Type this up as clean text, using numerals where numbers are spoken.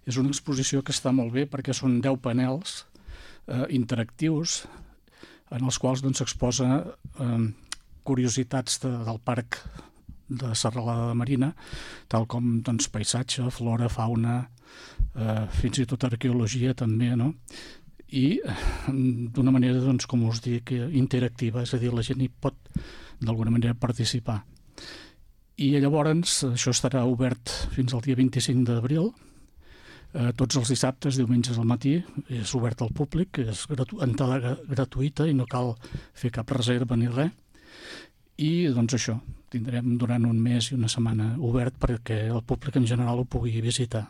És una exposició que està molt bé perquè són 10 panels interactius en els quals s'exposa curiositats del parc de Serralada de Marina, tal com paisatge, flora, fauna, fins i tot arqueologia també, no? I d'una manera, com us dic, interactiva, és a dir, la gent hi pot d'alguna manera participar. I llavors això estarà obert fins al dia 25 d'abril, tots els dissabtes, diumenges al matí, és obert al públic, és entrada gratuïta i no cal fer cap reserva ni res. I això, tindrem durant un mes i una setmana obert perquè el públic en general ho pugui visitar.